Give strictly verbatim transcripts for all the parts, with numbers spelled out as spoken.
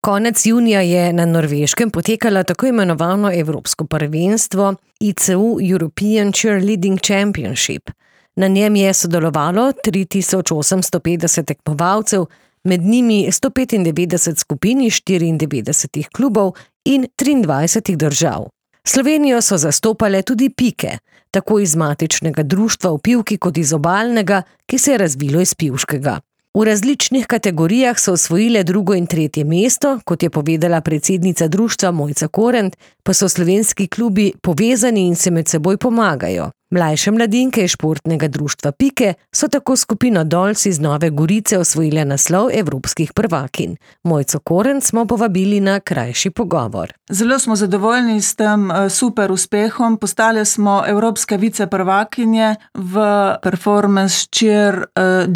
Konec junija je na Norveškem potekalo tako imenovano Evropsko prvenstvo I C U European Cheerleading Championship. Na njem je sodelovalo tri tisoč osemsto petdeset tekmovalcev, med njimi sto petindevetdeset skupin iz štiriindevetdesetih klubov in triindvajsetih držav. Slovenijo so zastopale tudi Pike, tako iz matičnega društva v Pivki kot iz obalnega, ki se je razvilo iz Pivškega. V različnih kategorijah so osvojile drugo in tretje mesto, kot je povedala predsednica društva Mojca Korent, pa so slovenski klubi povezani in se med seboj pomagajo. Mlajše mladinke iz športnega društva Pike so tako skupino Dolls iz Nove Gorice osvojile naslov evropskih prvakinj. Mojco Korent smo povabili na krajši pogovor. Zelo smo zadovoljni s tem super uspehom. Postale smo evropske viceprvakinje v performance cheer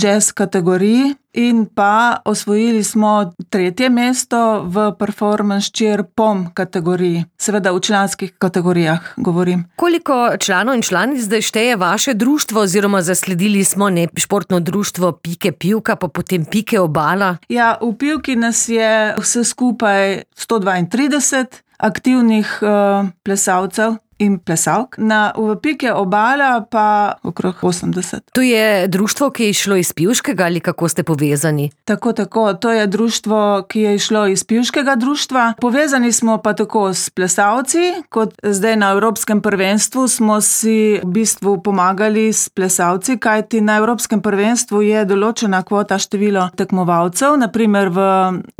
jazz kategoriji in pa osvojili smo tretje mesto v performance cheer pom kategoriji. Seveda v članskih kategorijah govorim. Koliko članov in članic zdaj šteje vaše društvo oziroma zasledili smo ne športno društvo Pike Pivka, pa potem Pike Obala? Ja, v Pivki nas je vse skupaj sto dvaintrideset aktivnih uh, plesalcev in plesalk. Na v Pike Obala pa okrog osemdeset. To je društvo, ki je išlo iz Pivškega ali kako ste povezani? Tako, tako. To je društvo, ki je išlo iz Pivškega društva. Povezani smo pa tako s plesalci, kot zdaj na Evropskem prvenstvu smo si v bistvu pomagali s plesalci, kajti na Evropskem prvenstvu je določena kvota število tekmovalcev. Naprimer v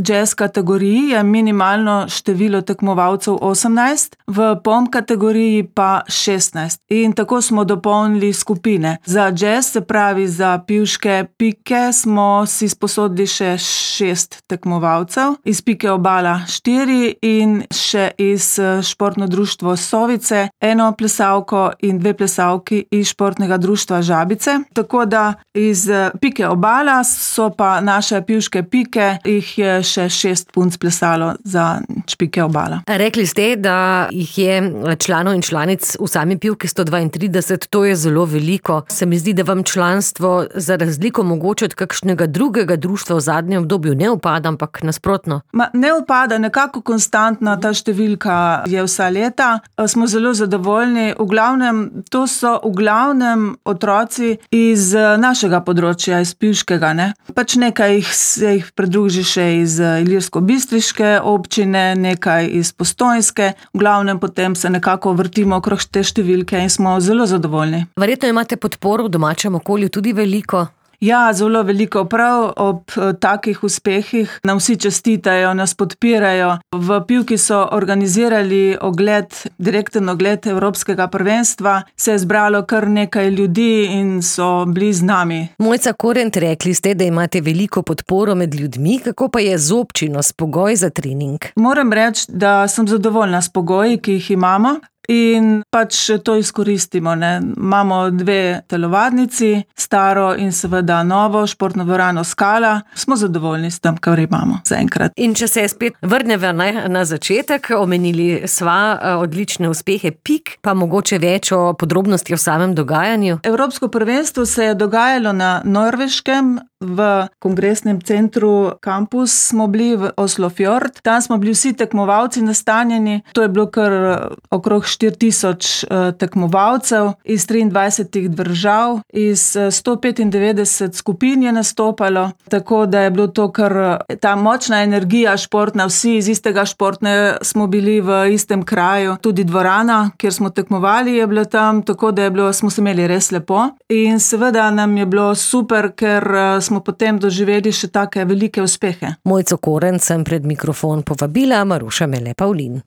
jazz kategoriji je minimalno število tekmovalcev osemnajst, v pom kategoriji pa šestnajst. In tako smo dopolnili skupine. Za jazz, se pravi za pivške Pike, smo si sposodili še šest tekmovalcev, iz Pike Obala štiri in še iz športno društvo Sovice, eno plesalko in dve plesalki iz športnega društva Žabice. Tako da iz Pike Obala so pa naše pivške Pike, jih je še šest punc plesalo za Pike Obala. Rekli ste, da jih je članov in članic v sami Pivki sto dvaintrideset, to je zelo veliko. Se mi zdi, da vam članstvo za razliko mogoče od kakšnega drugega društva v zadnjem obdobju ne upada, ampak nasprotno. Ma, ne upada, nekako konstantna ta številka je vsa leta. Smo zelo zadovoljni. V glavnem, to so v glavnem otroci iz našega področja, iz Pivškega, ne. Pač nekaj jih se jih pridruži še iz Ilirsko-Bistriške občine, nekaj iz Postojnske. V glavnem potem se nekako vrtimo okrog te številke in smo zelo zadovoljni. Verjetno imate podporo v domačem okolju tudi veliko? Ja, zelo veliko. Prav ob takih uspehih nam vsi čestitajo, nas podpirajo. V Pivki so organizirali ogled, direkten ogled Evropskega prvenstva. Se je zbralo kar nekaj ljudi in so bili z nami. Mojca Korent, rekli ste, da imate veliko podporo med ljudmi. Kako pa je z občino, s pogoji za trening? Moram reči, da sem zadovoljna s pogoji, ki jih imamo. In pač to izkoristimo, ne. Imamo dve telovadnici, staro in seveda novo, športno dvorano Skala. Smo zadovoljni s tem, kar imamo zaenkrat. In če se spet vrneva na, na začetek, omenili sva odlične uspehe Pik, pa mogoče več o podrobnosti o samem dogajanju. Evropsko prvenstvo se je dogajalo na Norveškem, v kongresnem centru Campus smo bili v Oslofjord. Tam smo bili vsi tekmovalci nastanjeni. To je bilo kar okrog štiri tisoč tekmovalcev iz triindvajsetih držav, iz sto petindevetdeset skupin je nastopalo, tako da je bilo to kar ta močna energija športna, vsi iz istega športne smo bili v istem kraju, tudi dvorana, kjer smo tekmovali, je bila tam, tako da je bilo, smo se imeli res lepo in seveda nam je bilo super, ker smo potem doživeli še take velike uspehe. Mojco Korent sem pred mikrofon povabila, Maruša Mele Pavlin.